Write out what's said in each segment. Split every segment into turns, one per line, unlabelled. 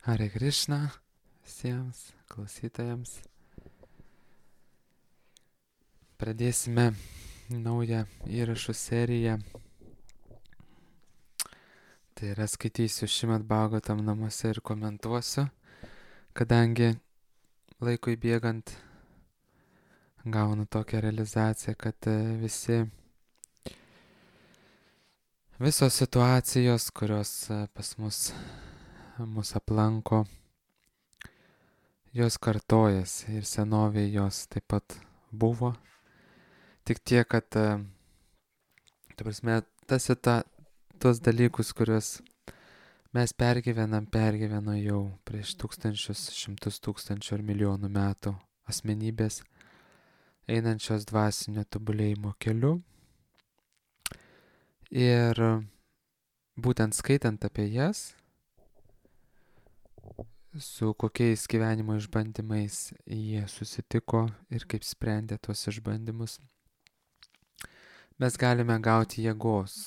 Hare Krishna visiems klausytojams. Pradėsime naują įrašų seriją. Tai yra skaitysiu Šrimad Bhagavatam namuose ir komentuosiu, kadangi laikui bėgant gaunu tokią realizaciją, kad visos situacijos, kurios pas mus aplanko, jos kartojasi ir senovėje jos taip pat buvo. Tik tiek, kad tos dalykus, kuriuos mes pergyveno jau prieš tūkstančius, šimtus tūkstančių ar milijonų metų asmenybės, einančios dvasinio tobulėjimo keliu. Ir būtent skaitant apie jas, su kokiais gyvenimo išbandymais jie susitiko ir kaip sprendė tuos išbandymus, mes galime gauti jėgos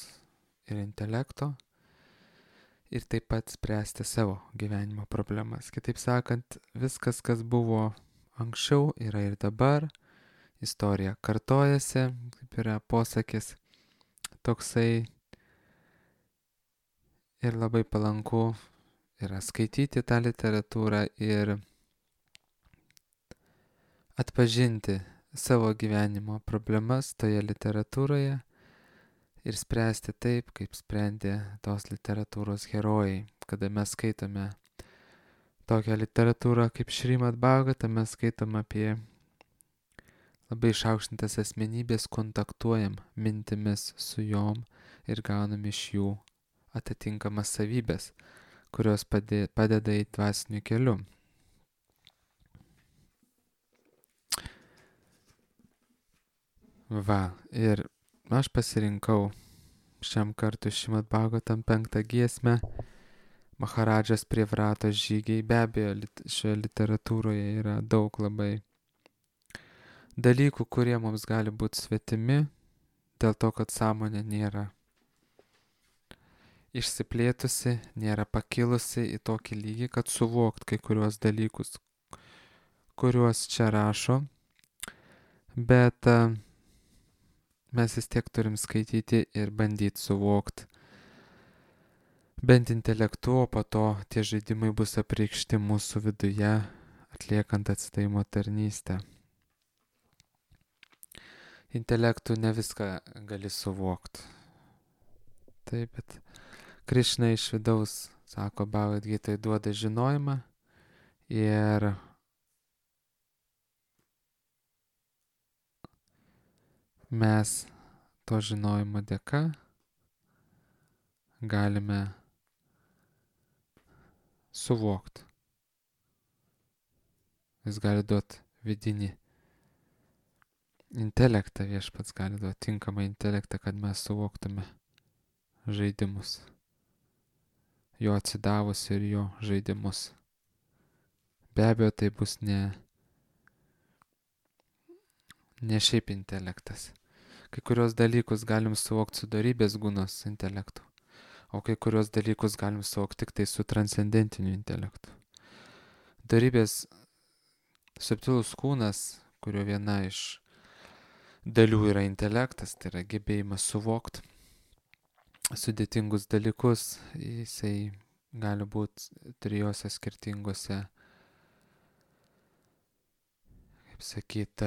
ir intelekto ir taip pat spręsti savo gyvenimo problemas. Kitaip sakant, viskas, kas buvo anksčiau, yra ir dabar. Istorija kartojasi, kaip yra posakis, toksai, ir labai palanku yra skaityti tą literatūrą ir atpažinti savo gyvenimo problemas toje literatūroje ir spręsti taip, kaip sprendė tos literatūros herojai. Kada mes skaitome tokią literatūrą kaip Šrimad Bhagavatam, mes skaitome apie labai išaukštintas asmenybės, kontaktuojam mintimis su jom ir gaunam iš jų atitinkamas savybės, kurios padeda į dvasiniu keliu. Ir aš pasirinkau šiam kartui Šrimad Bhagavatam 5 giesmę Maharadžas Privratos žygiai. Be abejo, šioje literatūroje yra daug labai dalykų, kurie mums gali būti svetimi, dėl to, kad sąmonė nėra išsiplėtusi, nėra pakilusi į tokį lygį, kad suvokt kai kuriuos dalykus, kuriuos čia rašo, bet mes vis tiek turim skaityti ir bandyti suvokti bent intelektu, o po to tie žaidimai bus apreikšti mūsų viduje, atliekant atsidavimo tarnystę. Intelektu ne viską gali suvokti. Taip, bet Krišna iš vidaus, sako Bhagavad Gitai, duoda žinojimą ir mes to žinojimo dėka galime suvokti. Jis gali duoti vidinį intelektą, viešpats gali duoti tinkamą intelektą, kad mes suvoktume žaidimus, jo atsidavus ir jo žaidimus. Be abejo, tai bus ne šiaip intelektas. Kai kurios dalykus galim suvokti su dorybės gūnos intelektu, o kai kurios dalykus galim suvokti tik tai su transcendentiniu intelektu. Dorybės subtilus kūnas, kurio viena iš dalių yra intelektas, tai yra gebėjimas suvokti sudėtingus dalykus, jisai gali būti trijose skirtingose, kaip sakyt,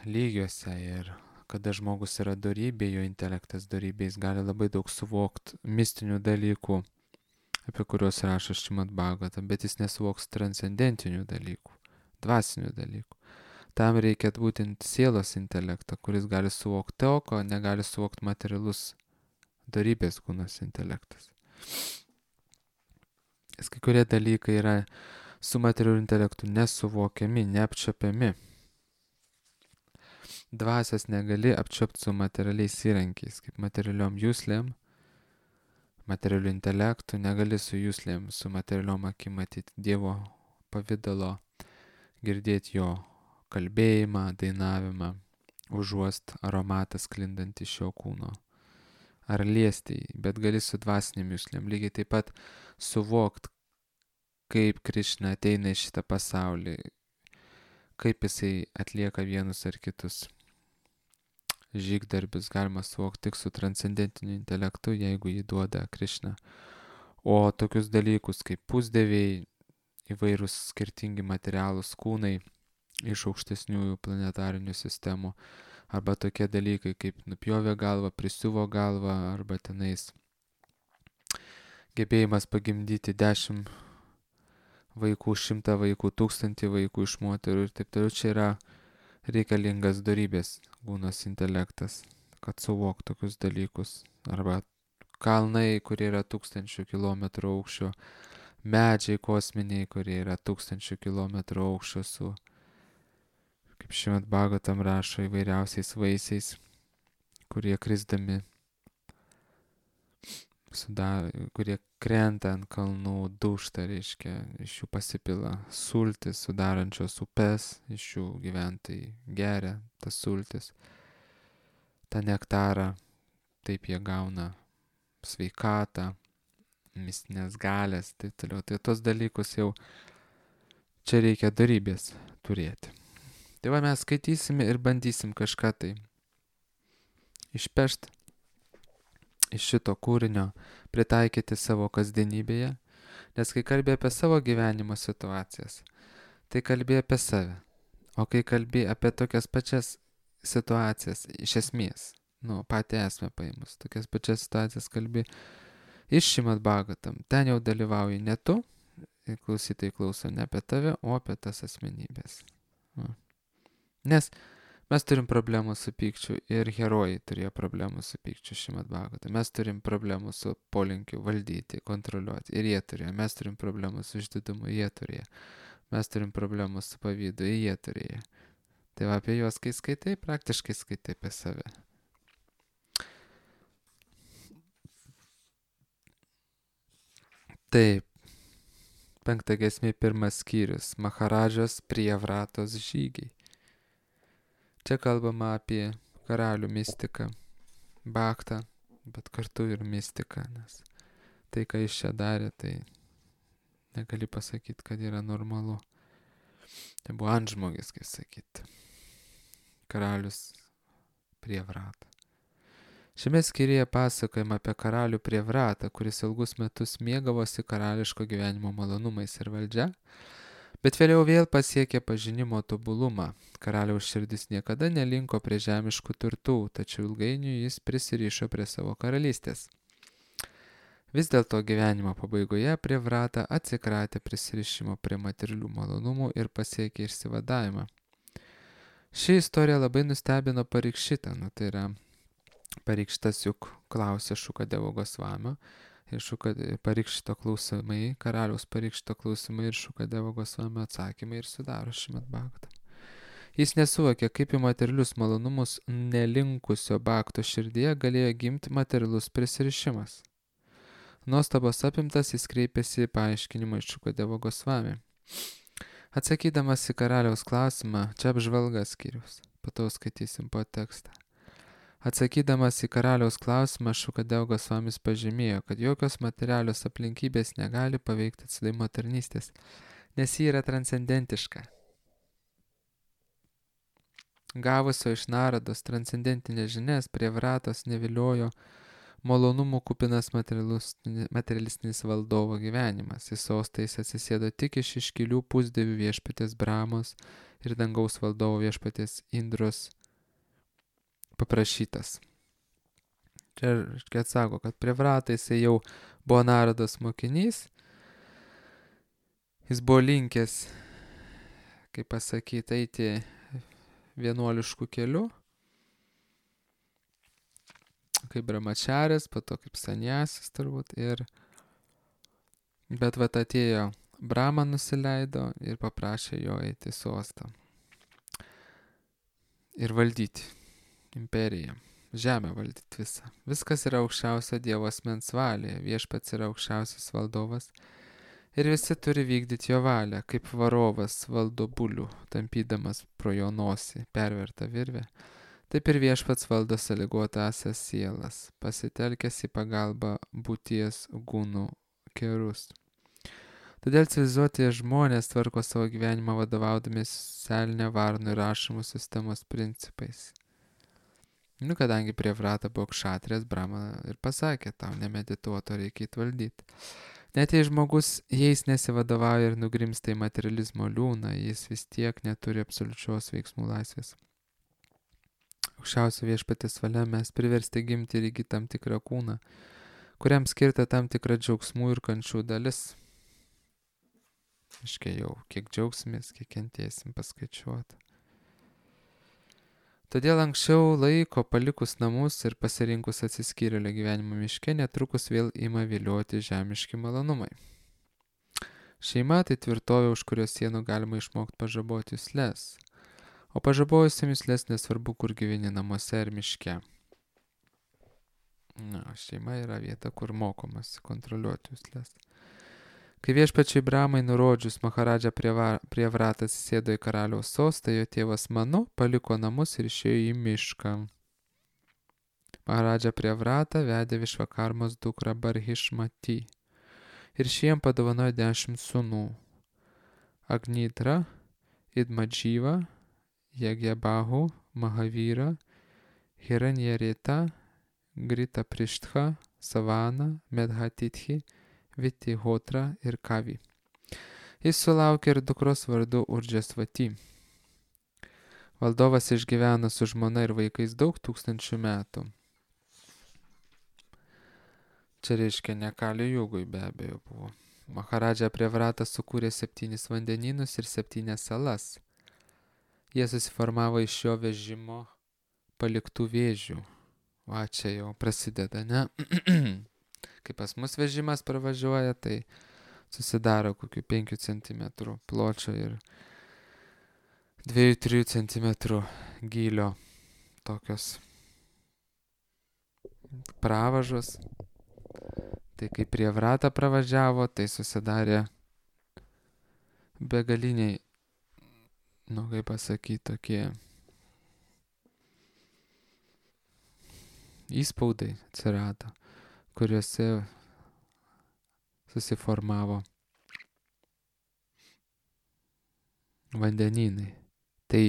lygiuose. Ir kada žmogus yra dorybė, jo intelektas dorybė, jis gali labai daug suvokti mistinių dalykų, apie kuriuos rašo Šrimad Bhagavatam, bet jis nesuvoks transcendentinių dalykų, dvasinių dalykų. Tam reikia būtent sielos intelekto, kuris gali suvokti to, ko negali suvokti materialus dorybės kūnas intelektas. Nes kai kurie dalykai yra su materialiu intelektu nesuvokiami, neapčiuopiami. Dvasios negali apčiuopti su materialiais įrankiais, kaip materialiom juslėm, materialiu intelektu, negali su juslėm, su materialiom akim matyti Dievo pavidalo, girdėti jo kalbėjimą, dainavimą, užuost aromatą sklindant iš šio kūno. Ar liesti, bet gali su dvasinėm juslėm lygiai taip pat suvokti, kaip Krišna ateina į šitą pasaulį, kaip jisai atlieka vienus ar kitus žygdarbius, galima suvokti tik su transcendentiniu intelektu, jeigu jį duoda Krišna. O tokius dalykus kaip pusdieviai, įvairūs skirtingi materialūs kūnai iš aukštesniųjų planetarinių sistemų, arba tokie dalykai kaip nupjovė galvą, prisiuvo galvą, arba tenais gebėjimas pagimdyti 10 vaikų, 100 vaikų, 1000 vaikų iš moterų ir taip toliau. Čia yra reikalingas dorybės kūnas intelektas, kad suvok tokius dalykus. Arba kalnai, kurie yra 1000 kilometrų aukščio, medžiai kosminiai, kurie yra 1000 kilometrų aukščio su, kaip Šrimad Bhagavatam rašo, įvairiausiais vaisiais, kurie krisdami, kurie krenta ant kalnų, dūžta, reiškia, iš jų pasipila sultis, sudarančios upes, iš jų gyventojai geria tas sultis, tą nektarą, taip jie gauna sveikatą, mistinės galės, taip toliau. Tai tos dalykus jau čia reikia dorybės turėti. Tai va, mes skaitysime ir bandysim kažką tai išpešti iš šito kūrinio, pritaikyti savo kasdienybėje, nes kai kalbė apie savo gyvenimo situacijas, tai kalbė apie save, o kai kalbė apie tokias pačias situacijas, iš esmės, patį esmę paėmus, tokias pačias situacijas kalbė iš Šrimad Bhagavatam, ten jau dalyvauji ne tu, ir klausytojai klauso ne apie tave, o apie tas asmenybės. Nes mes turim problemų su pykčiu ir herojai turėjo problemų su pykčiu Šrimad Bhagavatam. Mes turim problemų su polinkiu valdyti, kontroliuoti ir jie turėjo. Mes turim problemų su išdidumu, jie turėjo. Mes turim problemų su pavydu, jie turėjo. Tai va, apie juos, kai skaitai, praktiškai skaitai apie save. Taip, 5 giesmė, 1 skyrius, Maharadžos Priyavratos žygiai. Čia kalbama apie karalių mistiką, bhaktą, bet kartu ir mistiką, nes tai, ką jis čia darė, tai negali pasakyti, kad yra normalu. Tai buvo antžmogis, kaip sakyti. Karalius Priyavratą. Šiame skyriuje pasakojama apie karalių Priyavratą, kuris ilgus metus mėgavosi karališko gyvenimo malonumais ir valdžia, bet vėliau vėl pasiekė pažinimo tobulumą. Karaliaus širdis niekada nelinko prie žemiškų turtų, tačiau ilgainiui jis prisirišo prie savo karalystės. Vis dėlto gyvenimo pabaigoje Priyavrata atsikratė prisirišimo prie materialių malonumų ir pasiekė išsivadavimą. Ši istorija labai nustebino Parikšitą, tai yra Parikšitas juk klausė Šukadevo Gosvamio, ir Parikšito klausimai, karaliaus Parikšito klausimai ir Šukadevo Gosvamio atsakymai ir sudaro Šrimad Bhagavatam. Jis nesuvokė, kaip į materialius malonumus nelinkusio bhakto širdyje galėjo gimti materialus prisirišimas. Nuostabos apimtas jis kreipėsi į paaiškinimą iš Šukadevo Gosvami. Atsakydamas į karaliaus klausimą, čia apžvalga skyrius, po to skaitysim po tekstą. Atsakydamas į karaliaus klausimą, Šukadevo Gosvamis pažymėjo, kad jokios materialios aplinkybės negali paveikti atsidavimo tarnystės, nes ji yra transcendentiška. Gavusio iš Narados transcendentinės žinias Priyavratos neviliojo malonumų kupinas materialistinis valdovo gyvenimas. Į sostą jis atsisėdo tik iš iškilių pusdievių viešpaties Brahmos ir dangaus valdovo viešpaties Indros paprašytas. Čia atsako, kad Priyavrata jisai jau buvo Narados mokinys, jis buvo linkęs, kaip pasakyti, eiti vienuoliškų kelių, kaip brahmačaris, po to kaip sanjasis turbūt, bet vat atėjo Brahma, nusileido ir paprašė jo eiti į sostą ir valdyti imperiją, žemę valdyti visą. Viskas yra aukščiausio Dievo asmens valioje, viešpats yra aukščiausias valdovas ir visi turi vykdyti jo valią, kaip varovas valdo bulių, tampydamas pro jo nosį pervertą virvę. Taip ir viešpats valdo sąlygotąsias sielas, pasitelkęs į pagalbą būties gūnų kerus. Todėl civilizuoti žmonės tvarko savo gyvenimą vadovaudomės socialinė varnų ir rašymų sistemos principais. Kadangi prie vrata buvo kšatrės, Brahma ir pasakė, tau nemedituoto reikia įvaldyti. Net jei žmogus jais nesivadovauja ir nugrimsta į materializmo liūną, jis vis tiek neturi absoliučios veiksmų laisvės. Aukščiausio viešpatės valia mes priversti gimti ir įgyti tam tikrą kūną, kuriam skirta tam tikra džiaugsmų ir kančių dalis. Iškai jau, kiek džiaugsimės, kiek kentėsim paskaičiuoti. Todėl anksčiau laiko palikus namus ir pasirinkus atsiskyrėlio gyvenimo miške, netrukus vėl ima vilioti žemiški malonumai. Šeima tai tvirtovė, už kurios sienų galima išmokti pažaboti juslės. O pažabojusiam juslės nesvarbu, kur gyveni, namuose ar miške. Šeima yra vieta, kur mokomasi kontroliuoti juslės. Kai viešpačiai Brahmai nurodžius Maharadžą prie vratą atsisėdo į karaliaus sostą, jo tėvas Manu paliko namus ir išėjo į mišką. Maharadža prie vratą vedė Višvakarmos dukrą Barhišmati ir šiem padovanojo 10 sūnų – Agnidra, Idmadžyva, Jagyabahu, Mahavyra, Hiranjarita, Grita Prishtha, Savana, Medhatithi, Vitihotra ir Kavi. Jis sulaukė ir dukros vardu Urdžasvati. Valdovas išgyveno su žmona ir vaikais daug tūkstančių metų. Čia reiškia ne Kali Jugui be abejo buvo. Maharadža prie vratą sukūrė 7 vandenynus ir 7 salas. Jie susiformavo iš šio vežimo paliktų vėžių. Va, čia jau prasideda, ne? Kai pas mus vežimas pravažiuoja, tai susidaro kokių 5 cm pločio ir 2-3 cm gylio tokios pravažos. Tai kai prie vratą pravažiavo, tai susidarė begaliniai, kaip pasakyti, tokie įspaudai atsirado, kuriuose susiformavo vandenynai. Tai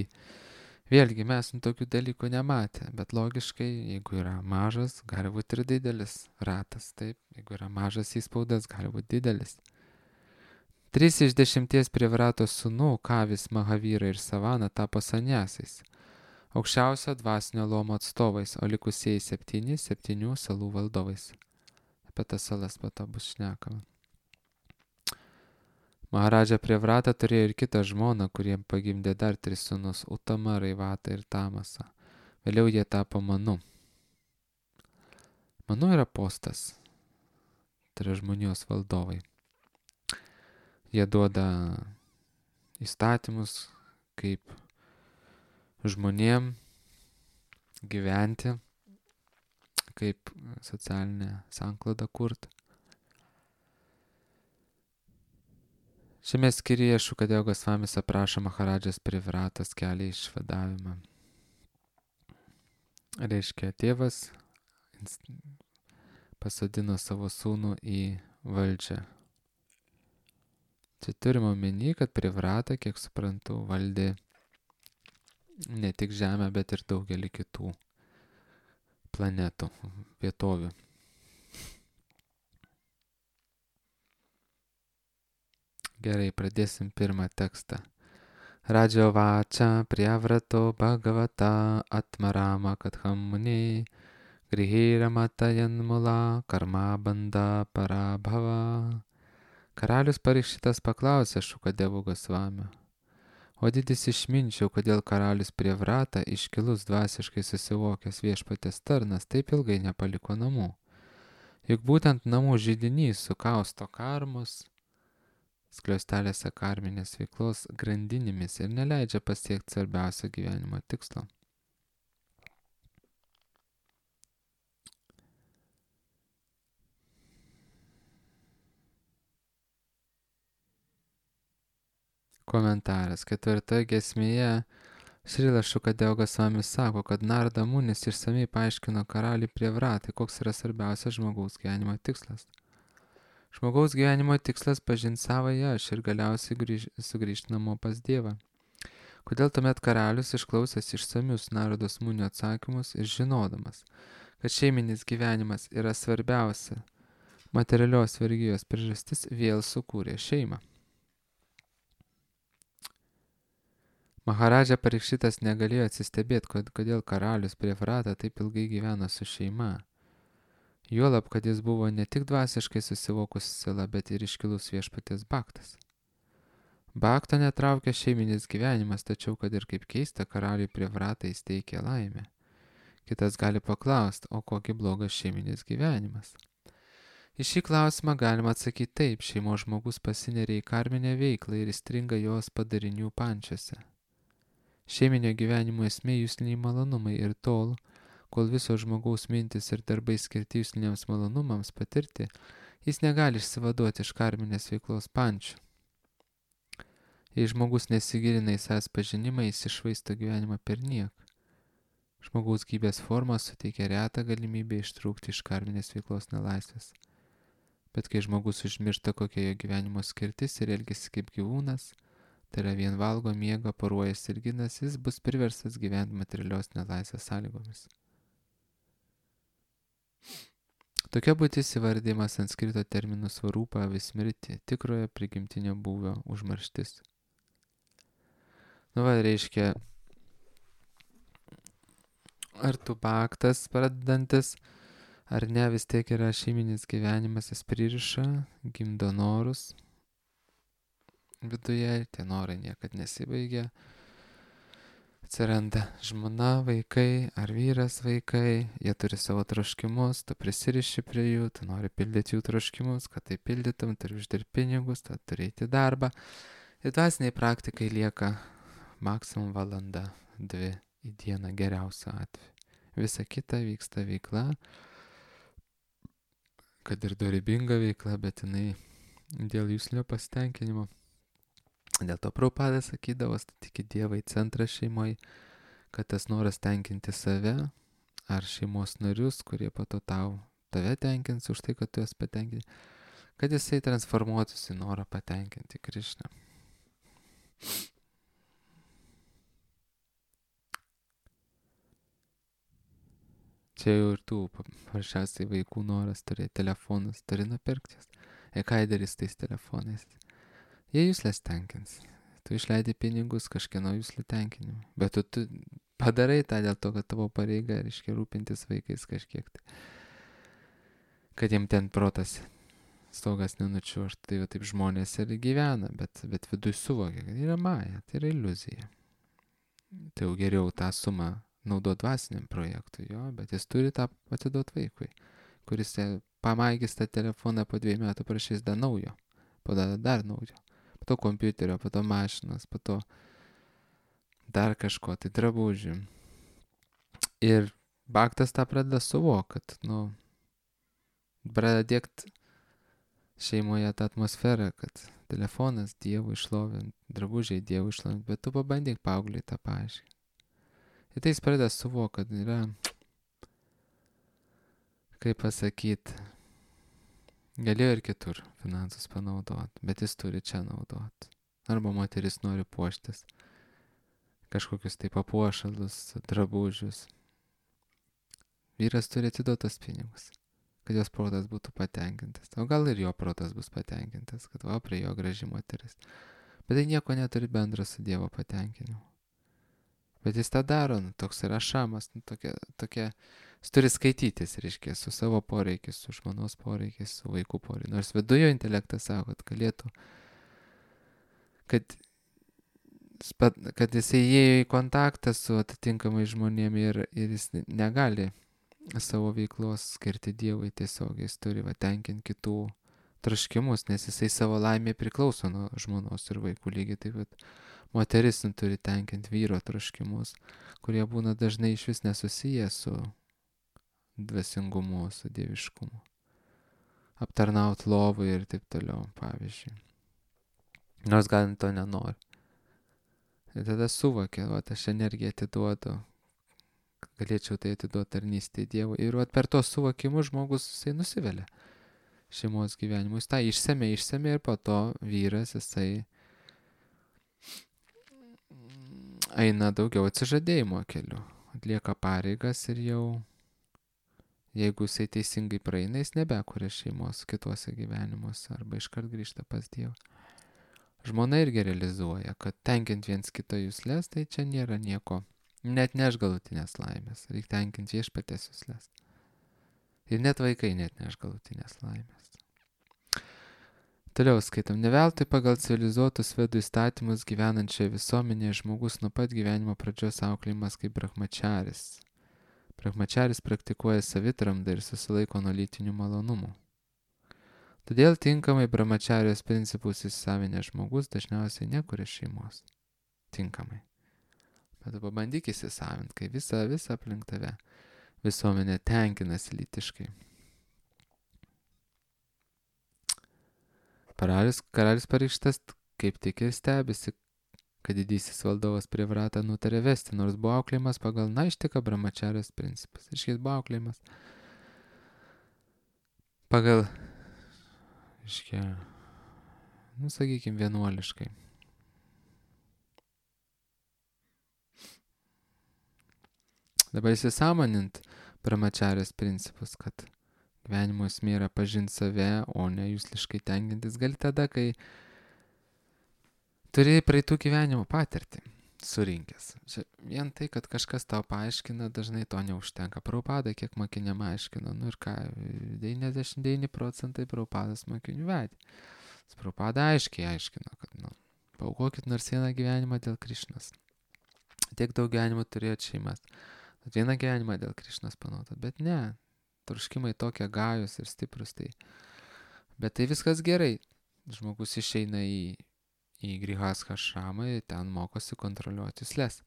vėlgi mes tokių dalykų nematę, bet logiškai, jeigu yra mažas, gali būti ir didelis ratas, taip, jeigu yra mažas įspaudas, gali būti didelis. 3 iš 10 prie vrato sūnų, Kavis, Mahavyra ir Savana, tapo saniasais, aukščiausio dvasinio luomo atstovais, o likusieji 7 salų valdovais. Apie tas salas po to bus šnekama. Maharadža prie vratą turėjo ir kitą žmoną, kuriem pagimdė dar 3 sūnus – Utama, Raivatą ir Tamasą. Vėliau jie tapo Manu. Manu yra postas, tai yra žmonijos valdovai. Jie duoda įstatymus, kaip žmonėm gyventi, kaip socialinę sanklodą kurti. Šiame skyriuje Šukadeva Gosvamis aprašo Maharadžos prie vratos kelią į išvadavimą. Reiškia, tėvas pasodino savo sūnų į valdžią. Čia turime omeny, kad prie vratą, kiek suprantu, valdė ne tik Žemę, bet ir daugelį kitų planetų, vietovių. Gerai, pradėsim pirmą tekstą. Radžio vača prievrato bhagavata atmarama katham muni grihira matajanmula karma banda parabhava. Karalius Parikšitas paklausė Šukadevų Gosvamio: o didis išminčiau, kodėl karalius prie vratą, iškilus dvasiškai susivokęs viešpatės tarnas, taip ilgai nepaliko namų? Juk būtent namų židinys sukausto karmus, skliaustelėse karminės veiklos grandinėmis ir neleidžia pasiekti svarbiausio gyvenimo tikslo. Komentaras. 4 giesmėje Šrilas Šukadeva Gosvamis sako, kad Narada Munis išsamei paaiškino karaliui prie vratai, koks yra svarbiausias žmogaus gyvenimo tikslas. Žmogaus gyvenimo tikslas pažinti savąją aš ir galiausiai sugrįžti namo pas Dievą. Kodėl tuomet karalius išklausęs išsamius Narodos Munio atsakymus ir žinodamas, kad šeiminis gyvenimas yra svarbiausia materialios vergijos priežastis, vėl sukūrė šeimą. Maharadža Parikšitas negalėjo atsistebėti, kodėl karalius Privrata taip ilgai gyveno su šeima. Juolab, kad jis buvo ne tik dvasiškai susivokusi siela, bet ir iškilus viešpaties baktas. Bakto netraukė šeiminis gyvenimas, tačiau, kad ir kaip keista, karaliui Privratai įsteigė laimę. Kitas gali paklausti, o kokį blogas šeiminis gyvenimas? Į šį klausimą galima atsakyti taip, šeimos žmogus pasineria į karminę veiklą ir įstringa jos padarinių pančiuose. Šeiminio gyvenimo esmė jusliniai malonumai ir tol, kol visos žmogaus mintis ir darbai skirti jusliniams malonumams patirti, jis negali išsivaduoti iš karminės veiklos pančių. Jei žmogus nesigilina į savęs pažinimą, jis iššvaisto gyvenimą per niek. Žmogaus gyvybės forma suteikia retą galimybę ištrūkti iš karminės veiklos nelaisvės. Bet kai žmogus užmiršta, kokia jo gyvenimo skirtis ir elgesi kaip gyvūnas, tai yra vien valgo, miega, poruojasi ir ginasi, jis bus priverstas gyventi materialios nelaisvės sąlygomis. Tokia būtis įvardyma sanskrito terminų svarūpa vismirti, tikrojo prigimtinio būvio užmarštis. Reiškia, ar tu baktas pradedantis, ar ne, vis tiek yra šeiminis gyvenimas, jis pririša, gimdo norus viduje, tie norai niekad nesibaigia. Atsiranda žmona, vaikai ar vyras vaikai, jie turi savo troškimus, tu prisiriši prie jų, tu nori pildyti jų troškimus, kad tai pildytum, turi uždirbti pinigus, tu turi eiti darbą. Ir dvasiniai praktikai lieka maksimum valanda, 2 į dieną geriausiu atveju. Visa kita vyksta veikla, kad ir dorybinga veikla, bet jinai dėl juslinio pasitenkinimo. Dėl to Prabhupada sakydavo, statykit Dievą į centrą šeimoje, kad tas noras tenkinti save ar šeimos narius, kurie po to tave tenkins už tai, kad tu jas patenkinti, kad jisai transformuotųsi į norą patenkinti Krišną. Čia jau ir tų paprasčiausiai vaikų noras turėti telefonus, turi nupirktis. Ką darys tais telefonais? Jie juslės tenkins. Tu išleidi pinigus kažkieno juslų tenkinimui. Bet tu padarai tą dėl to, kad tavo pareiga reiškia rūpintis vaikais kažkiek. Kad jiem ten protas stogas nenučiuoštų. Tai va taip žmonės ir gyvena, bet viduj suvokia, kad yra maja, tai yra iliuzija. Tai jau geriau tą sumą naudot dvasiniam projektui, jo, bet jis turi tą atiduot vaikui, kuris pamaigys tą telefoną po 2 metų prašys dar naujo, po dar naujo, po to kompiuterio, po to mašinas, po to dar kažko, tai drabužių. Ir baktas tą pradeda suvokti, kad, pradeda dėkti šeimoje tą atmosferą, kad telefonas Dievui šlovint, drabužiai Dievui šlovint, bet tu pabandyk paaugliui tą paaiškinti. Ir tai jis pradeda suvokti, kad yra, kaip pasakyti, galėjo ir kitur finansus panaudoti, bet jis turi čia naudoti. Arba moteris nori puoštis, kažkokius tai papuošalus, drabužius. Vyras turi atiduotas pinigus, kad jos protas būtų patenkintas. O gal ir jo protas bus patenkintas, kad prie jo graži moteris. Bet tai nieko neturi bendro su Dievo patenkinimu. Bet jis tą daro, toks yra šamas, tokia, jis turi skaitytis, reiškia, su savo poreikiais, su žmonos poreikiais, su vaikų poreikiais. Nors viduje intelektas sako, kad galėtų, kad jisai įėjo į kontaktą su atitinkamai žmonėmis ir jis negali savo veiklos skirti Dievui tiesiogiai, jis turi tenkinti kitų troškimus, nes jisai savo laimė priklauso nuo žmonos ir vaikų lygiai taip pat. Moteris turi tenkinti vyro troškimus, kurie būna dažnai iš vis nesusiję su dvasingumu, su dieviškumu. Aptarnaut lovui ir taip toliau, pavyzdžiui. Nors gal to nenori. Ir tada suvokia, aš energiją atiduodu, galėčiau tai atiduoti tarnystėje Dievui. Ir per to suvokimus žmogus jisai nusivelia. šeimos gyvenimu. Jis tą išsemė ir po to vyras, jisai eina daugiau atsižadėjimo keliu. Atlieka pareigas ir jau, jeigu jisai teisingai praeina, jis nebekuria šeimos kituose gyvenimuose arba iškart grįžta pas Dievą. Žmona irgi realizuoja, kad tenkint viens kito juslės, tai čia nėra nieko, net neš galutinės laimės, reikia tenkinti viešpaties juslės. Ir net vaikai net neš galutinės laimės. Toliau skaitom, ne veltui pagal civilizuotus vedų įstatymus gyvenančioje visuomenėje žmogus nuo pat gyvenimo pradžios auklėjimas kaip brahmačaris. Brahmačaris praktikuoja savitramdą ir susilaiko nuo lytinių malonumų. Todėl tinkamai brahmačarijos principus įsisavinęs žmogus dažniausiai nekuria šeimos. Tinkamai. Bet pabandyk įsisavinti, kai visa aplink tave visuomenė tenkinasi lytiškai. Karalius Parikštas kaip tik ir stebisi, kad didysis valdovas Privratą nutarė vesti, nors buvo auklėjimas pagal naištiką brahmačarijos principus. Iškiais buvo auklėjimas pagal, sakykime, vienuoliškai. Dabar įsisąmonint brahmačarijos principus, kad gyvenimo esmė yra pažinti save, o ne jusliškai tenkintis, gali tada, kai turi praeitų gyvenimo patirtį surinkęs. Čia vien tai, kad kažkas tau paaiškina, dažnai to neužtenka. Prabhupada kiek mokiniam aiškino, ir ką, 99% Prabhupadas mokinių vedė. Prabhupada aiškiai aiškino, kad paaukokit nors vieną gyvenimą dėl Krišnos. Tiek daug gyvenimų turėjot šeimas. Vieną gyvenimą dėl Krišnos panaudotot, bet ne. Troškimai tokie gajus ir stiprus. Bet tai viskas gerai. Žmogus išeina į grihastha ašramą ir ten mokosi kontroliuoti jusles.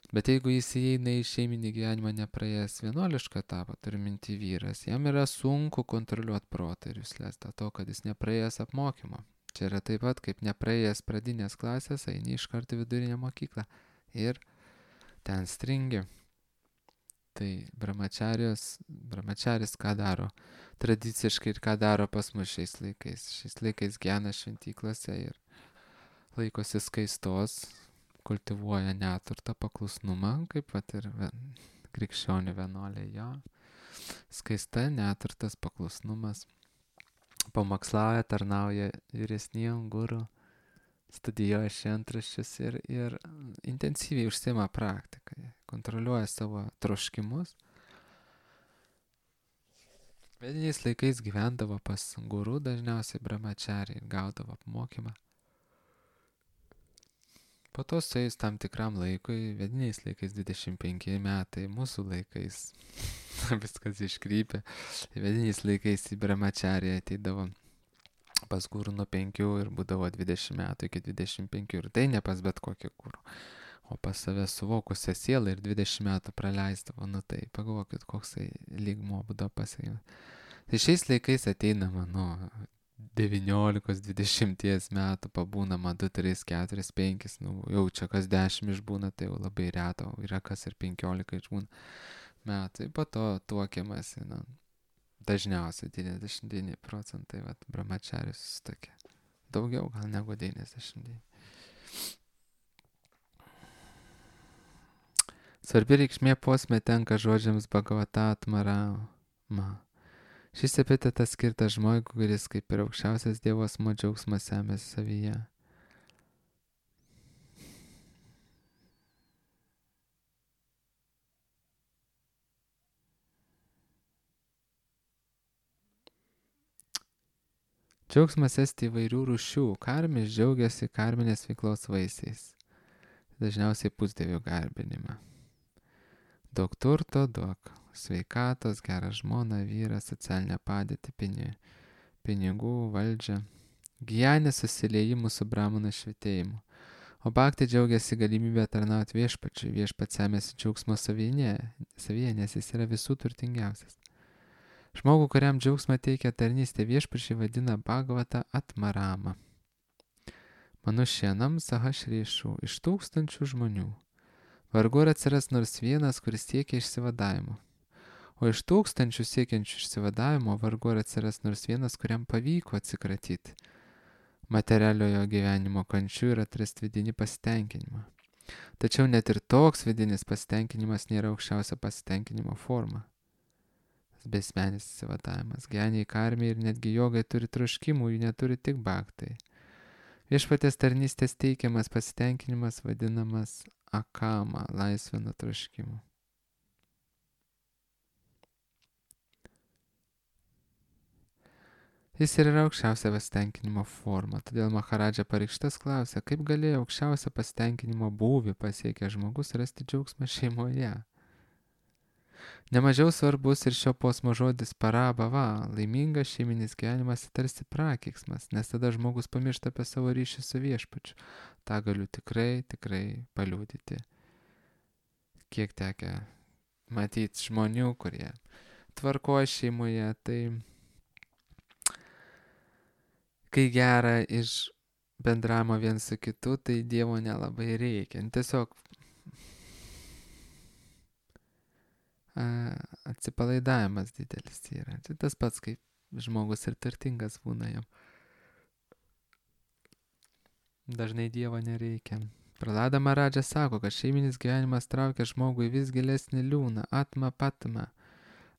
Bet jeigu jis įeina į šeiminį gyvenimą nepraėjęs vienuolišką etapą, turi minti vyras, jam yra sunku kontroliuoti protą ir jusles, dėl to, kad jis nepraėjęs apmokymo. Čia yra taip pat, kaip nepraėjęs pradinės klasės, eini iš karto vidurinę mokyklą ir ten stringi. Tai brahmačaris ką daro tradiciškai ir ką daro pas mus šiais laikais. Šiais laikais gyvena šventyklose ir laikosi skaistos, kultivuoja neturtą, paklusnumą, kaip pat ir krikščionių vienuoliai jo. Skaista, neturtas, paklusnumas. Pamokslauja, tarnauja vyresniem guru, studijuoja šventraščius ir intensyviai užsiima praktiką. Kontroliuoja savo troškimus. Vediniais laikais gyvendavo pas guru, dažniausiai brahmačariai, gaudavo apmokymą. Po to suėjus tam tikram laikui, vediniais laikais 25 metai, mūsų laikais viskas iškrypė. Vediniais laikais į brahmačariją ateidavo pas guru nuo 5 ir būdavo 20 metų iki 25 ir tai ne pas bet kokį guru. O pas save suvokusią sielą ir 20 metų praleisdavo, tai pagalvokit, koks lygmuo būdavo pasiekimas. Tai šiais laikais ateinama 19-20 metų, pabūnama 2, 3, 4, 5, jau čia kas 10 išbūna, tai jau labai reto, yra kas ir 15 išbūna metai, po to tuokiamasi, dažniausiai 99% brahmačaris tokia, daugiau gal negu 99. Svarbi reikšmė posmė tenka žodžiams Bhagavata Atmarama. Šis epitetas skirtas žmogui, kuris kaip ir aukščiausias Dievo asmuo džiaugsmą semia savyje. Džiaugsmas esti įvairių rūšių. Karmis džiaugiasi karminės veiklos vaisiais. Dažniausiai pusdievių garbinimą. Daug turto, daug sveikatos, gerą žmoną, vyrą, socialinę padėtį, pinigų, valdžią. Gyjanė susiliejimų su brahmana švitėjimu. O bhakti džiaugiasi galimybę tarnauti viešpačiui. Viešpats semėsi džiaugsmo savyje, nes jis yra visų turtingiausias. Žmogų, kuriam džiaugsmą teikia tarnystė viešpačiui, vadina Bhagavata Atmarama. Manušienam Sahasrišų iš 1000 žmonių. Vargu ar atsiras nors vienas, kuris siekia išsivadavimo. O iš tūkstančių siekiančių išsivadavimo vargu ar atsiras nors vienas, kuriam pavyko atsikratyti materialiojo gyvenimo kančių ir atrasti vidinį pasitenkinimą. Tačiau net ir toks vidinis pasitenkinimas nėra aukščiausia pasitenkinimo forma. Besmenis įsivadavimas, geniai, karmiai ir netgi jogai turi troškimų, jų neturi tik bhaktai. Viešpaties tarnystės teikiamas pasitenkinimas vadinamas akama, laisvė nuo troškimų. Jis ir yra aukščiausia pasitenkinimo forma, todėl Maharadža Parikštas klausia, kaip galėjo aukščiausia pasitenkinimo būvį pasiekę žmogus rasti džiaugsmą šeimoje. Nemažiau svarbus ir šio posmo žodis parabhava, laimingas šeiminis gyvenimas tarsi prakeiksmas, nes tada žmogus pamiršta apie savo ryšį su viešpačiu. Ta galiu tikrai paliudyti. Kiek tekę matyti žmonių, kurie tvarkoja šeimoje, tai kai gera iš bendravimo vien su kitu, tai Dievo nelabai reikia. Tiesiog atsipalaidavimas didelis yra. Tai tas pats, kaip žmogus ir turtingas būna jam. Dažnai Dievo nereikia. Prahlada Maharadža sako, kad šeiminis gyvenimas traukia žmogui vis gilesnį liūną,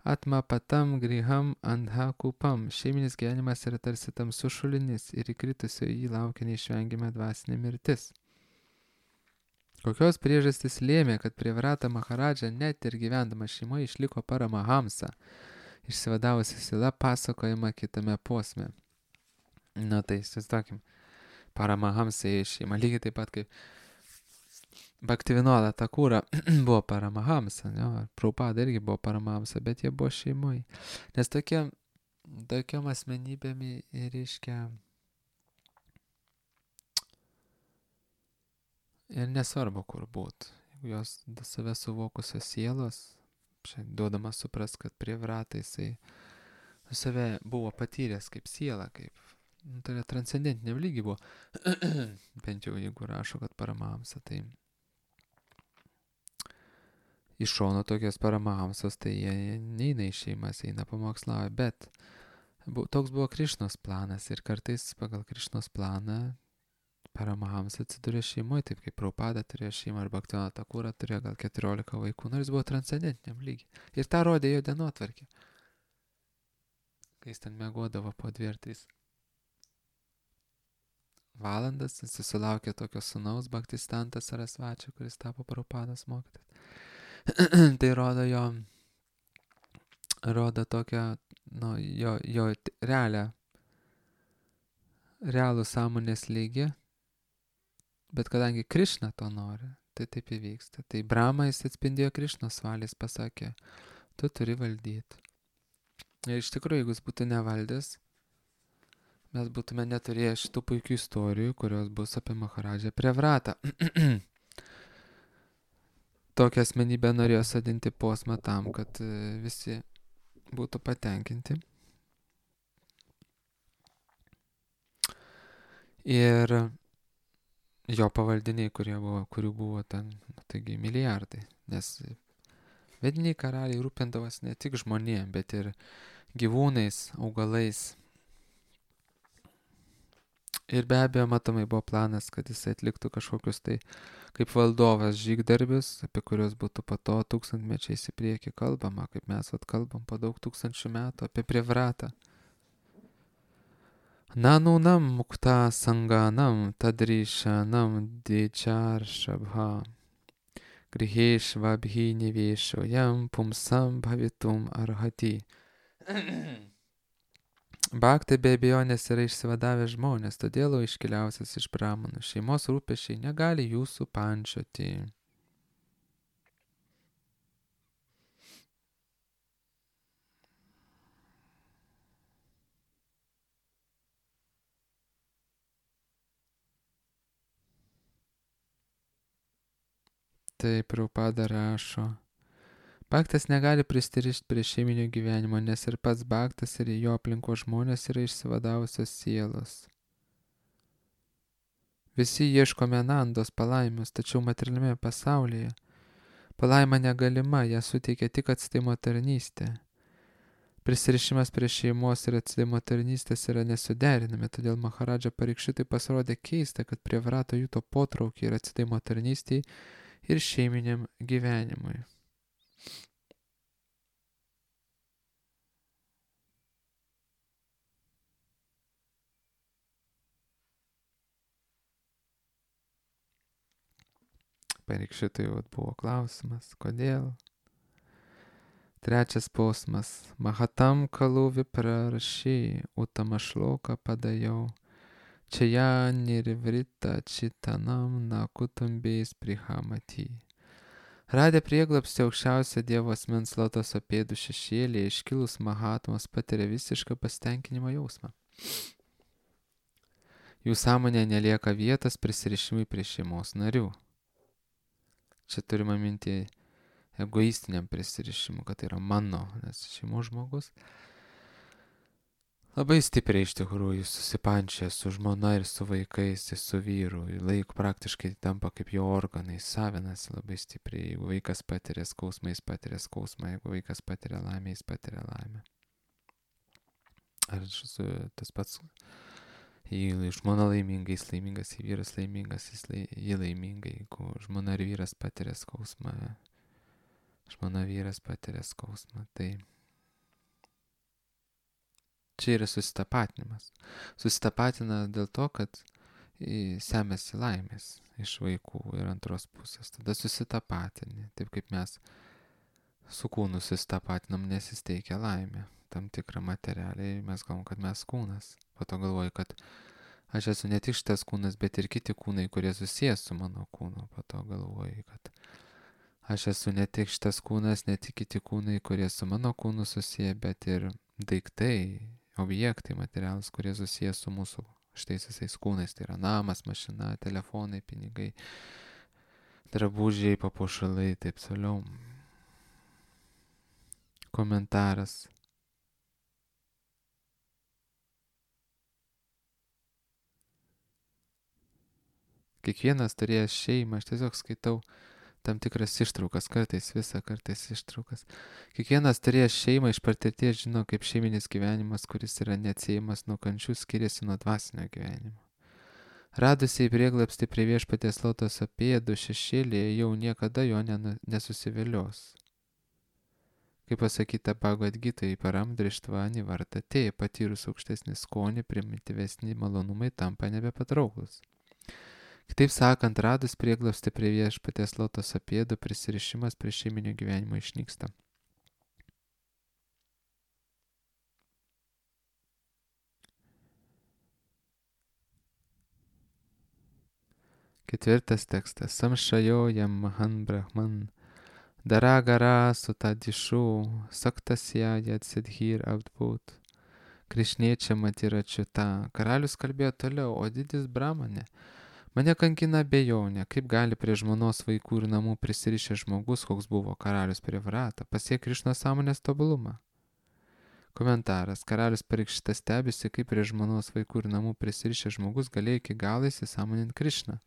atma patam griham andha kupam. Šeiminis gyvenimas yra tarsi tamsus šulinys ir įkritusio jį laukia neišvengiama dvasinė mirtis. Kokios priežastys lėmė, kad Privrata Maharadža net ir gyvendama šeimoje išliko Paramahamsa, išsivadavusi sila, pasakojama kitame posme. Na tai, įsivaizduokim, Paramahamsa į šeimą, lygiai taip pat kaip Bhaktivinoda Thakura buvo Paramahamsa, Prabhupada irgi buvo Paramahamsa, bet jie buvo šeimoje. Nes tokiam asmenybėm reiškia ir nesvarbu, kur būt. Jeigu jos save suvokusios sielos, čia duodama supras, kad Privrata jisai save buvo patyręs kaip siela, kaip tai yra transcendentiniam lygiai buvo. Bent jau jeigu rašo, kad Paramahamsa, tai iš šono tokios Paramahamsos, tai jie neina į šeimas, eina pamokslauja, bet toks buvo Krišnos planas ir kartais pagal Krišnos planą Paramahamsa atsidūrė šeimoje, taip kaip Prabhupada turėjo šeimą ar Bhaktivinoda Thakura turėjo gal 14 vaikų, nors buvo transcendentiniam lygiai. Ir tą rodė jo dienotvarkė. Kai jis ten miegodavo po 2 ar 3 valandas, jis susilaukė tokio sūnaus Bhaktistantas Sarasvačio, kuris tapo Prabhupados mokytojas. Tai rodo tokią, jo realų sąmonės lygį, bet kadangi Krišna to nori, tai taip įvyksta. Tai Brahma jis atspindėjo Krišnos valės, pasakė, tu turi valdyti. Ir iš tikrųjų, jeigu jis būtų nevaldęs, mes būtume neturėję šitų puikių istorijų, kurios bus apie Maharadžą Privratą. Tokią asmenybę norėjo sadinti posmą tam, kad visi būtų patenkinti. Ir jo pavaldiniai, kurių buvo ten, taigi milijardai, nes vediniai karaliai rūpindavosi ne tik žmonėm, bet ir gyvūnais, augalais. Ir be abejo, matomai buvo planas, kad jis atliktų kažkokius tai kaip valdovas žygdarbius, apie kuriuos būtų po to tūkstantmečiais į priekį kalbama, kaip mes kalbam po daug tūkstančių metų apie Privratą. Nanunam mukta sanganam tadrishanam dicharšabha grihešvabhi nivešojam pumsam bhavitum arhati. Bhaktai be abejonės yra išsivadavę žmonės, todėl iškiliausias iš brahmanų šeimos rūpesčiai negali jūsų pančioti. Tai Prabhupada rašo. Bhaktas negali pristirišti prie šeiminio gyvenimo, nes ir pats bhaktas ir jo aplinko žmonės yra išsivadavusios sielos. Visi ieškome nandos palaimos, tačiau materialiame pasaulyje Palaima negalima, ją suteikia tik atsidavimo tarnystė. Prisirišimas prie šeimos ir atsidavimo tarnystės yra nesuderinami, todėl Maharadža Parikšitai pasirodė keista, kad prievarata juto potraukį ir atsidavimo tarnystėj ir šeiminiam gyvenimui. Parikšitai buvo klausimas, kodėl? Trečias posmas. Mahatam kalu vipraraši utamašloka padajau. Čia ją nirvrita čitanam nakutumbės prihamati. Radę prieglapstį aukščiausio Dievo asmens lotoso pėdų šešėlėje, iškilus Mahatmos patiria visišką pasitenkinimo jausmą. Jų sąmonė nelieka vietos prisirišimui prie šeimos narių. Čia turima minti egoistiniam prisirišimui, kad tai yra mano, nes šeimos žmogus labai stipriai iš tikrųjų susipančia su žmona ir su vaikais, ir su vyru. Laik praktiškai tampa kaip jo organai, savinasi labai stipriai. Jeigu vaikas patiria skausmą, jis patiria skausmą. Jeigu vaikas patiria laimę, jis patiria laimę. Ar tas pats, jei žmona laiminga, jis laimingas, jei vyras laimingas, jis laiminga. Jeigu žmona ir vyras patiria skausmą, žmona vyras patiria skausmą. Tai čia yra susitapatinimas. Susitapatina dėl to, kad semėsi laimės iš vaikų ir antros pusės. Tada susitapatini, taip kaip mes su kūnu susitapatinam, nes jis teikia laimę. Tam tikrą materialiai mes galvom, kad mes kūnas. Po to galvoju, kad aš esu ne tik šitas kūnas, bet ir kiti kūnai, kurie susijęs su mano kūnu. Po to galvoju, kad aš esu ne tik šitas kūnas, ne tik kiti kūnai, kurie su mano kūnu susiję, bet ir daiktai, objektai materialūs, kurie susijęs su mūsų šitais visais kūnais. Tai yra namas, mašina, telefonai, pinigai, drabužiai, papuošalai, taip toliau. Komentaras. Kiekvienas turėjęs šeimą, aš tiesiog skaitau tam tikras ištraukas, kartais visą, kartais ištraukas. Kiekvienas turėjęs šeimą iš patirties žino, kaip šeiminis gyvenimas, kuris yra neatsiejamas nuo kančių, skiriasi nuo dvasinio gyvenimo. Radusiai prieglapsti prie viešpaties lotoso pėdų šešėlėje jau niekada jo nesusivilios. Kaip pasakyta Bhagavad Gitoj, paramdrištva anivartate, patyrus aukštesnį skonį, primityvesni malonumai tampa nebepatrauklus. Kitaip sakant, radus prieglapstį prie viešpaties lotoso pėdų, prisirišimas prie šeiminio gyvenimo išnyksta. Ketvirtas tekstas. Samšajojam mahan brahman daragara sutadišu saktasya yatsidhir abdbūt krišniečia matiračiuta. Karalius kalbėjo toliau, o didis brahmane, mane kankina abejonė, kaip gali prie žmonos, vaikų ir namų prisirišęs žmogus, koks buvo karalius prie Vratą, pasiekti Krišnos sąmonės tobulumą. Komentaras. Karalius Parikšitas stebisi, kaip prie žmonos, vaikų ir namų prisirišęs žmogus galėjo iki galo įsisąmoninti Krišną.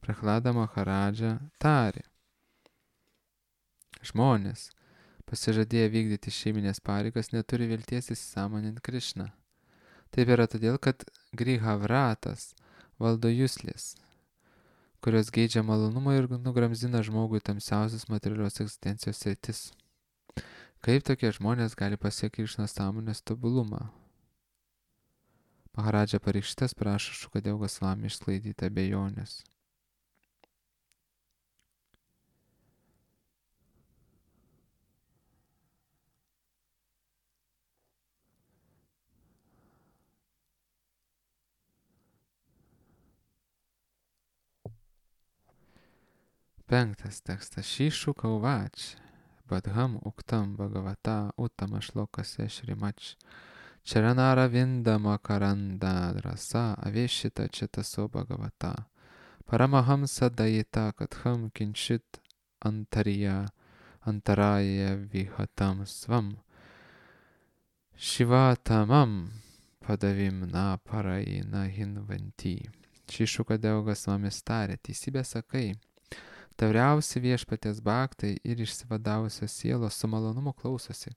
Prahlada Maharadža tarė. Žmonės, pasižadėję vykdyti šeiminės pareigas, neturi vilties įsisąmoninti Krišną. Taip yra todėl, kad Grihavratas valdo juslės, kurios geidžia malonumo ir nugramzina žmogui tamsiausias materialios egzistencijos sritis. Kaip tokie žmonės gali pasiekti Krišnos sąmonės tobulumą? Maharadža Parikšitas prašo Šukadeva Gosvami išsklaidyti abejonės. Penktas tekstas. Šyšuka uvač, badham uktam bhagavata utamašlokase šrimač, čaranara vindama karanda drasa avešita četaso bhagavata, paramahamsa dayita katham kinčit antaraya vihatam svam, shivatamam padavim na paraina hinvanti. Šyšuka Deva Gosvamis tarė, teisybę sakai, Tauriausi viešpaties bhaktai ir išsivadavusios sielos su malonumu klausosi,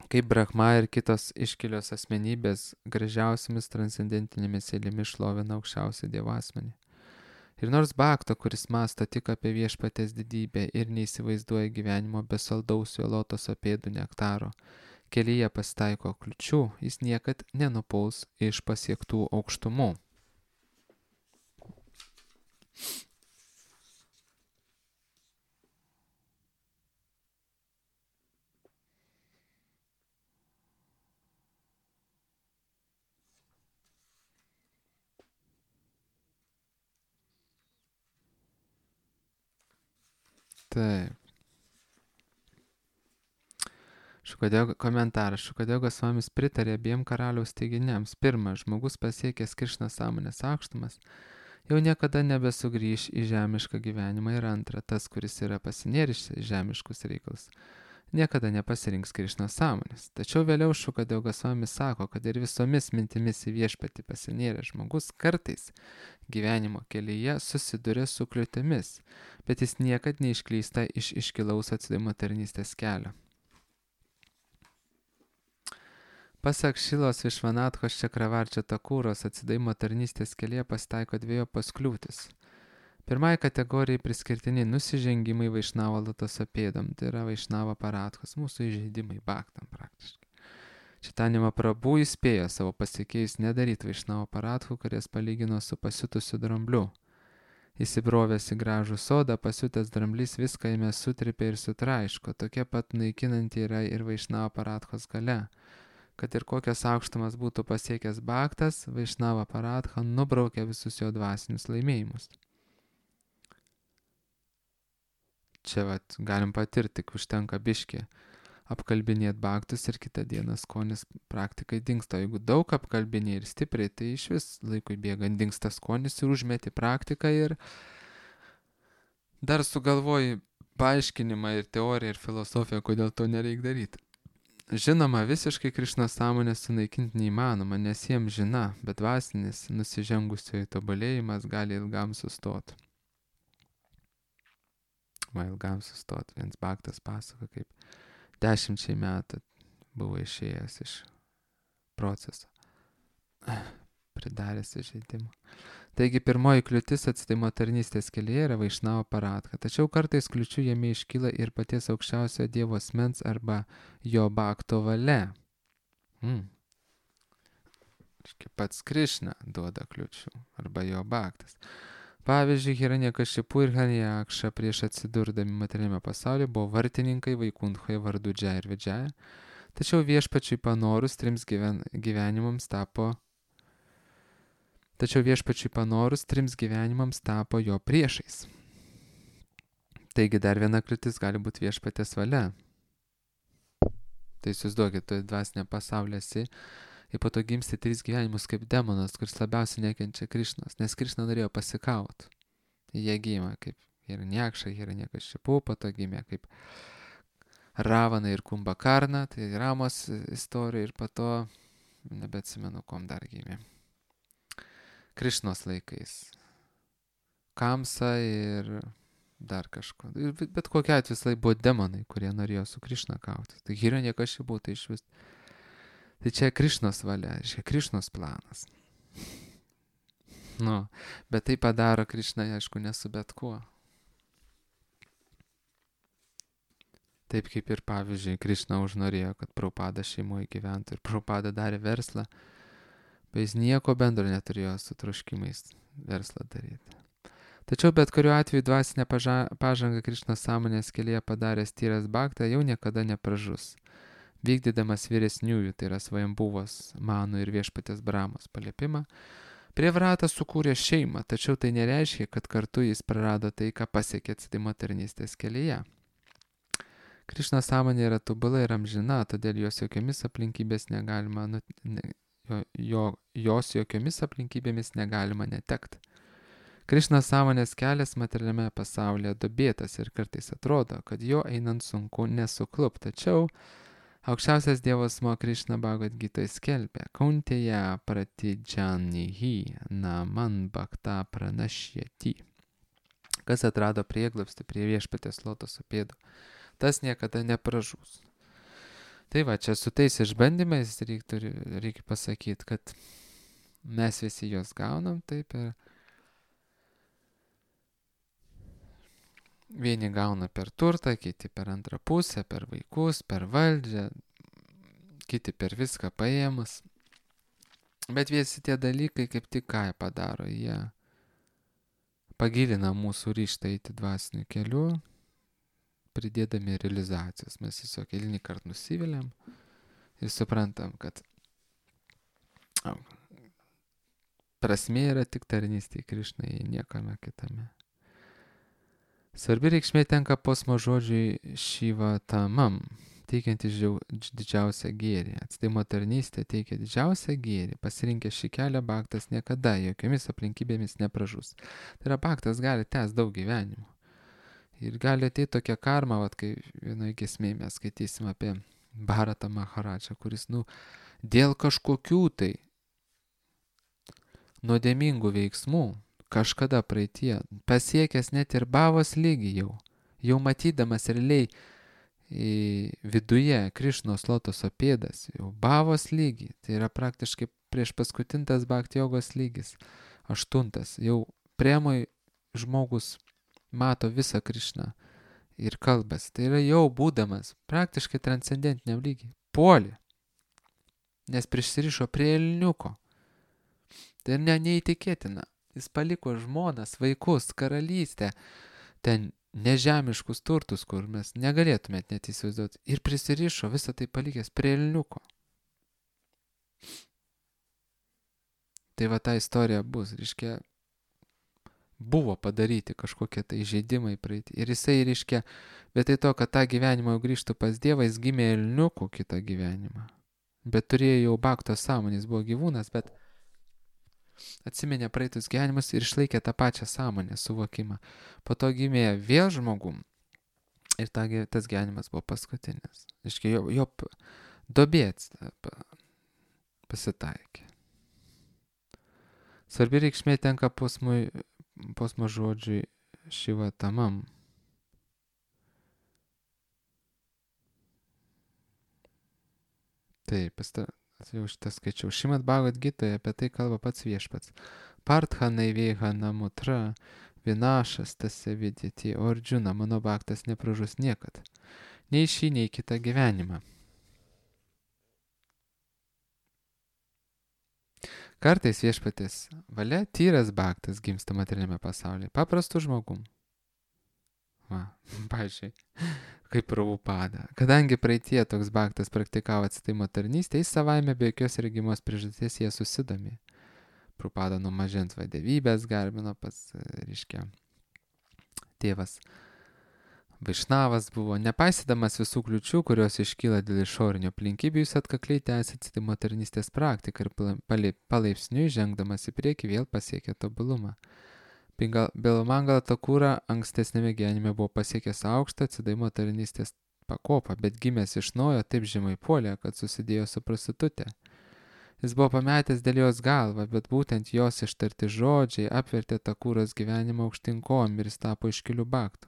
kaip Brahma ir kitos iškilios asmenybės gražiausiamis transcendentinėmis eilėmis šlovina aukščiausią Dievo asmenį. Ir nors bhakta, kuris mąsto tik apie viešpaties didybę ir neįsivaizduoja gyvenimo be saldaus jo lotoso pėdų nektaro, kelyje pasitaiko kliučių, jis niekad nenupuls iš pasiektų aukštumų. Taip. Komentaras. Šukadeo Gosvamis pritarė abiem karaliaus teiginiams. Pirma, žmogus pasiekęs Krišnos sąmonės aukštumas jau niekada nebesugrįš į žemišką gyvenimą. Ir antra, tas, kuris yra pasinėręs į žemiškus reikalus, niekada nepasirinks Krišnos sąmonės. Tačiau vėliau Šukadeo Gosvamis sako, kad ir visomis mintimis į viešpatį pasinėręs žmogus kartais gyvenimo kelyje susiduria su kliūtimis, bet jis niekad neišklysta iš iškilaus atsidavimo tarnystės kelio. Pasak Šilos Višvanathos Čakravarčio Takūros, atsidavimo tarnystės kelyje pasitaiko dviejopos kliūtis. Pirmai kategorijai priskirtiniai nusižengimai Vaišnavo lotoso pėdom, tai yra Vaišnavo paratkos, mūsų įžeidimai bhaktam praktiškai. Čaitanija Mahaprabhu įspėjo savo pasiekėjus nedaryti Vaišnavo paratkų, kurias palygino su pasiutusiu drambliu. Įsibrovęs į gražų sodą, pasiutęs dramblys viską jame sutripė ir sutraiško, tokia pat naikinanti yra ir Vaišnavo paratkos galia. Kad ir kokias aukštumas būtų pasiekęs bhaktas, Vaišnava paratha nubraukia visus jo dvasinius laimėjimus. Čia galim patirti, tik užtenka biškį apkalbinėti bhaktus ir kitą dieną skonis praktikai dingsta. Jeigu daug apkalbinė ir stipriai, tai iš vis laikui bėgant dingsta skonis ir užmeti praktiką ir dar sugalvoji paaiškinimą ir teoriją ir filosofiją, kodėl to nereik daryti. Žinoma, visiškai Krišnos sąmonę sunaikinti neįmanoma, nes jiems žina, bet dvasinis nusižengusiojo tobulėjimas gali ilgam sustoti. Ilgam sustoti. Viens bhaktas pasako, kaip 10 metų buvo išėjęs iš proceso, pridaręs įžeidimų. Taigi pirmoji kliūtis atsidavimo tarnystės kelyje yra Vaišnavo paratha, tačiau kartais kliūčių jame iškyla ir paties aukščiausiojo Dievo asmens arba jo bhakto valia. Pats Krišna duoda kliūčių arba jo bhaktas. Pavyzdžiui, Hiranyakashipu ir Hiranyakša prieš atsidurdami materialiame pasaulyje buvo vartininkai Vaikunthoje vardu Džaya ir Vidžaya, tačiau viešpačiui panorus trims gyvenimams tapo jo priešais. Taigi dar viena kliūtis gali būti viešpatės valia. Tai įsivaizduokit, tu dvasinė pasaulė esi ir po to gimsti 3 gyvenimus kaip demonas, kuris labiausiai nekenčia Krišnos, nes Krišna norėjo pasikauti. Jie gimė kaip Hiranyakša, Hiranyakashipu, po to gimė kaip Ravana ir Kumbakarna, tai Ramos istorija ir po to, nebeatsimenu, kom dar gimė. Krišnos laikais. Kamsa ir dar kažko. Bet kokia atveju visai buvo demonai, kurie norėjo su Krišna kautis. Tai Hiranyakashipu tai iš vis. Tai čia Krišnos valia, čia Krišnos planas. Bet tai padaro Krišna, aišku, ne su bet kuo. Taip kaip ir pavyzdžiui, Krišna užnorėjo, kad Prabhupada šeimoje gyventų ir Prabhupada darė verslą, bet jis nieko bendro neturėjo su troškimais verslą daryti. Tačiau bet kuriuo atveju dvasinę pažangą Krišnos sąmonės kelyje padaręs tyras bhaktą jau niekada nepražus. Vykdydamas vyresniųjų, tai yra Svajambuvos, Mano ir viešpatės Brahmos paliepimą, Prievrata sukūrė šeimą, tačiau tai nereiškia, kad kartu jis prarado tai, ką pasiekė atsidavimo tarnystės kelyje. Krišnos sąmonė yra tobula ir amžina, todėl jos jokiomis aplinkybėmis negalima netekti. Krišnos sąmonės kelias materialiame pasaulyje duobėtas ir kartais atrodo, kad jo einant sunku nesuklup, tačiau aukščiausias Dievo asmuo Krišna Bhagavad Gitoje skelbia: Kauntėja pratidžanihi naman bhakta pranašyati. Kas atrado prieglobstį prie viešpaties lotoso pėdų, tas niekada nepražūs. Tai va, čia su tais išbandymais reikia pasakyti, kad mes visi juos gaunam taip ir vieni gauna per turtą, kiti per antrą pusę, per vaikus, per valdžią, kiti per viską paėmus. Bet visi tie dalykai kaip tik ką jie padaro, jie pagilina mūsų ryžtą eiti dvasiniu keliu, pridėdami realizacijos. Mes tiesiog eilinį kartą nusiviliam ir suprantam, kad prasmė yra tik tarnystė Krišnai, niekame kitame. Svarbi reikšmė tenka posmo žodžiui Šiva Tamam, teikianti didžiausią gėrį. Atsidavimo tarnystė teikia didžiausią gėrį. Pasirinkęs šį kelią, Bhaktas niekada jokiomis aplinkybėmis nepražus. Tai yra, Bhaktas gali tęsti daug gyvenimų. Ir gali ateiti tokia karma, kai vienoje giesmėje mes skaitysim apie Bharatą Maharadžą, kuris, dėl kažkokių tai nuodėmingų veiksmų, kažkada praeitie, pasiekęs net ir Bhavos lygį jau matydamas realiai viduje Krišnos lotoso pėdas, jau Bhavos lygį, tai yra praktiškai prieš paskutintas Bhakti jogos lygis, 8, jau priemoj žmogus mato visą Krišną ir kalbas, tai yra jau būdamas praktiškai transcendentiniam lygiai, puolė, nes prisirišo prie elniuko. Tai neįtikėtina. Jis paliko žmonas, vaikus, karalystę, ten nežemiškus turtus, kur mes negalėtumėt net įsivaizduoti. Ir prisirišo visą tai palikęs prie elniuko. Tai va ta istorija bus, reiškia, buvo padaryti kažkokie tai žaidimai praeiti. Ir jisai, reiškia, vietoj to, kad tą gyvenimą jau grįžtų pas Dievą, jis gimė elniuku kitą gyvenimą. Bet turėjo jau Bhakto sąmonės, buvo gyvūnas, bet atsiminė praeitus gyvenimus ir išlaikė tą pačią sąmonę, suvokimą. Po to gimė vėl žmogum ir tas gyvenimas buvo paskutinis. Iškai jo dobėts pasitaikė. Svarbi reikšmė tenka posmo žodžiui Šiva Tamam. Taip, jau šitą skaičiau. Šrimad Bhagavad Gitoje apie tai kalba pats viešpats. Partha naivėha namutra, vinašas tasya vidėti, o Arjuna, mano Bhaktas nepražus niekad. Nei šį, nei kitą gyvenimą. Kartais viešpatės valia tyras Bhaktas gimsta materialiame pasaulyje, paprastų žmogum. Pavyzdžiui, kaip Prabhupada. Kadangi praeitie toks Bhaktas praktikavo atsidavimo tarnystę, jis savaime be jokios regimos priežasties jie susidomi. Prabhupada nuo mažens vadovybės garbino pats, reiškia, tėvas Vaišnavas buvo, nepaisydamas visų kliučių, kurios iškyla dėl išorinių aplinkybių, jis atkakliai tęsė atsidavimo tarnystės praktiką ir palaipsniui žengdamas į priekį vėl pasiekė tobulumą. Bilamangala Takura ankstesnėme gyvenime buvo pasiekęs aukštą atsidavimo tarnystės pakopą, bet gimęs iš naujo taip žemai puolė, kad susidėjo su prostitutė. Jis buvo pametęs dėl jos galvą, bet būtent jos ištarti žodžiai apvertė Takuros gyvenimą aukštyn kojom ir jis tapo iškiliu Bhaktu.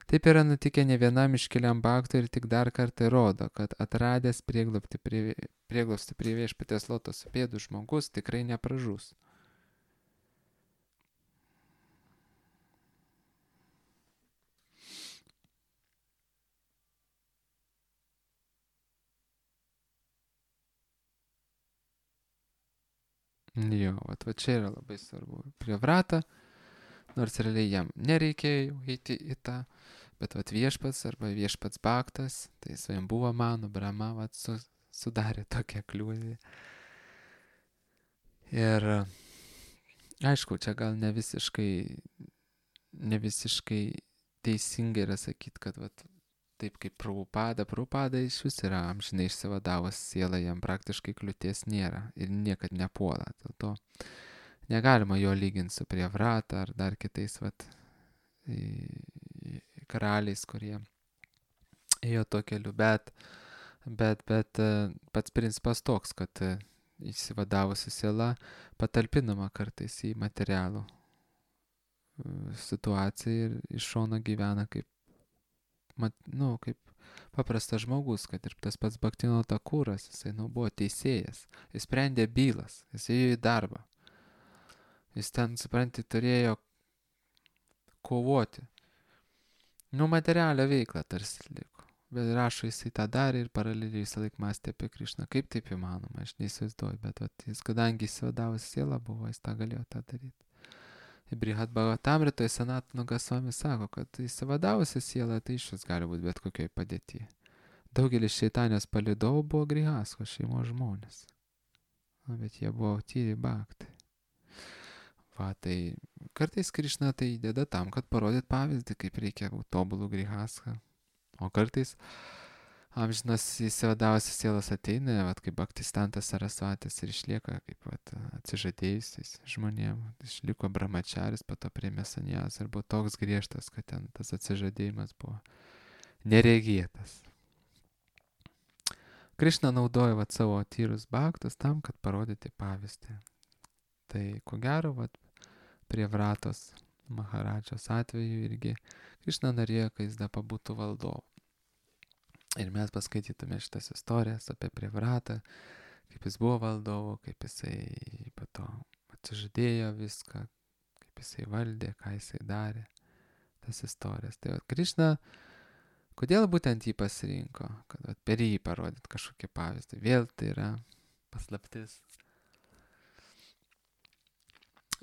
Taip yra nutikę ne vienam iškiliam Bhaktui ir tik dar kartą rodo, kad atradęs prieglobstį prie viešpaties lotoso pėdų žmogus tikrai nepražus. Jo, va čia yra labai svarbu. Prie Vrata, nors realiai jam nereikėjo eiti į tą, bet viešpats arba viešpats Bhaktas, tai svajam buvo mano, Brahma, sudarė tokią kliūtį. Ir aišku, čia gal ne visiškai teisingai yra sakyti, kad taip kaip Prabhupada iš vis yra amžinai išsivadavus siela, jam praktiškai kliūties nėra ir niekad nepuola. Dėl to negalima jo lyginti su Prievrata ar dar kitais karaliais, kurie ėjo to keliu, bet pats principas toks, kad išsivadavusi siela patalpinama kartais į materialų situaciją ir iš šono gyvena kaip, kaip paprastas žmogus, kad ir tas pats Bhaktino Thakuras, jisai buvo teisėjas, jis sprendė bylas, jis ėjo į darbą, jis ten, supranti, turėjo kovoti, materialią veiklą tarsi liko, bet rašo jisai tą darė ir paraleliai visą laiką mąstė apie Krišną, kaip taip įmanoma, aš neįsivaizduoju, bet jis, kadangi įsivadavusi siela buvo, jis tą galėjo tą daryti. Brihad Bhagavatamritoje Sanatana Gosvami sako, kad įsivadavusi siela tai išvis gali būti bet kokioj padėtyje. Daugelis šeitanės palidovų buvo Grihasko šeimos žmonės. Bet jie buvo tyri bhaktai. Tai kartais Krišna tai įdeda tam, kad parodyt pavyzdį, kaip reikia būti tobulų Grihaską. O kartais amžinas įsivadavusios sielos ateina, kaip Bhaktistantas Sarasvatis ir išlieka kaip atsižadėjusiais žmonėm. Išliko brahmačaris, po to priėmė sanjas ir buvo toks griežtas, kad ten tas atsižadėjimas buvo neregėtas. Krišna naudoja savo tyrus bhaktus tam, kad parodyti pavyzdį. Tai ko gero, prie Vratos Maharadžos atveju irgi Krišna norėjo, kad jis pabūtų valdovu. Ir mes paskaitytume šitas istorijas apie Privratą, kaip jis buvo valdovu, kaip jisai po to atsižadėjo viską, kaip jisai valdė, ką jisai darė, tas istorijas. Tai Krišna, kodėl būtent jį pasirinko, kad per jį parodyt kažkokį pavyzdį. Vėl tai yra paslaptis.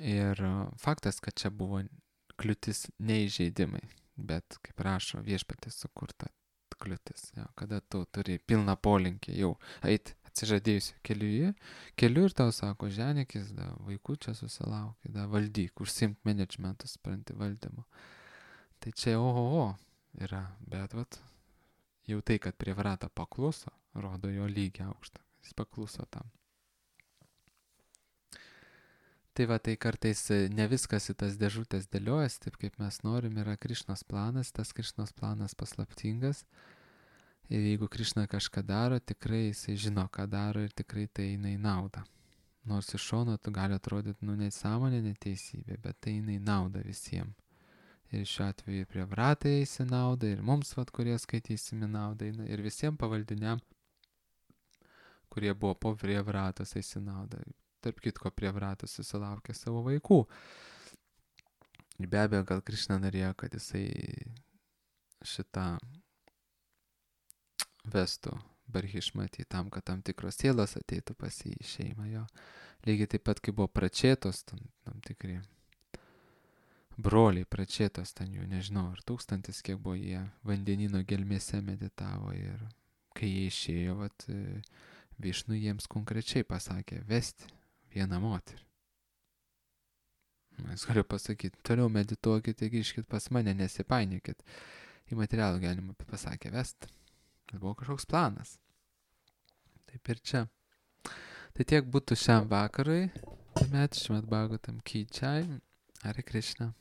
Ir faktas, kad čia buvo kliūtis neįžeidimai, bet, kaip rašo, viešpatis sukurta kliūtis, kada tu turi pilną polinkį jau eiti atsižadėjusiu keliu ir tau sako, ženikis, vaikų čia susilaukė, valdyk, užsiimk managementų, spranti valdymu. Tai čia yra, bet jau tai, kad prie Vrata pakluso, rodo jo lygį aukštą, jis pakluso tam. Tai kartais ne viskas į tas dėžutės dėliojas, taip kaip mes norim, yra Krišnos planas, tas Krišnos planas paslaptingas. Ir jeigu Krišna kažką daro, tikrai jisai žino, ką daro ir tikrai tai eina į naudą. Nors iš šono tu gali atrodyti, nesąmonė, neteisybė, bet tai eina į naudą visiems. Ir šiuo atveju prie Vratai eis į naudą, ir mums, kurie skaitysim į naudą, ir visiems pavaldiniam, kurie buvo po prie Vratos eis į naudą. Tarp kitko, prie Vratos susilaukė savo vaikų. Ir be abejo, gal Krišna norėjo, kad jisai šitą vestų Barhišmatį tam, kad tam tikros sielos ateitų pas jį į šeimą jo. Lygiai taip pat, kai buvo pračėtos, tam tikri broliai pračėtos, ten jų nežinau, ar 1000, kiek buvo jie vandenino gelmėse meditavo, ir kai jie išėjo, Višnu jiems konkrečiai pasakė vesti vieną moterį. Aš galiu pasakyti, toliau medituokit ir grįžkit pas mane, nesipainiokit į materialų gyvenimą, pasakė vest. Tai buvo kažkoks planas. Taip ir čia. Tai tiek būtų šiam vakarui. Tuomet Šrimad Bhagavatam ki jai. Hare Krishna.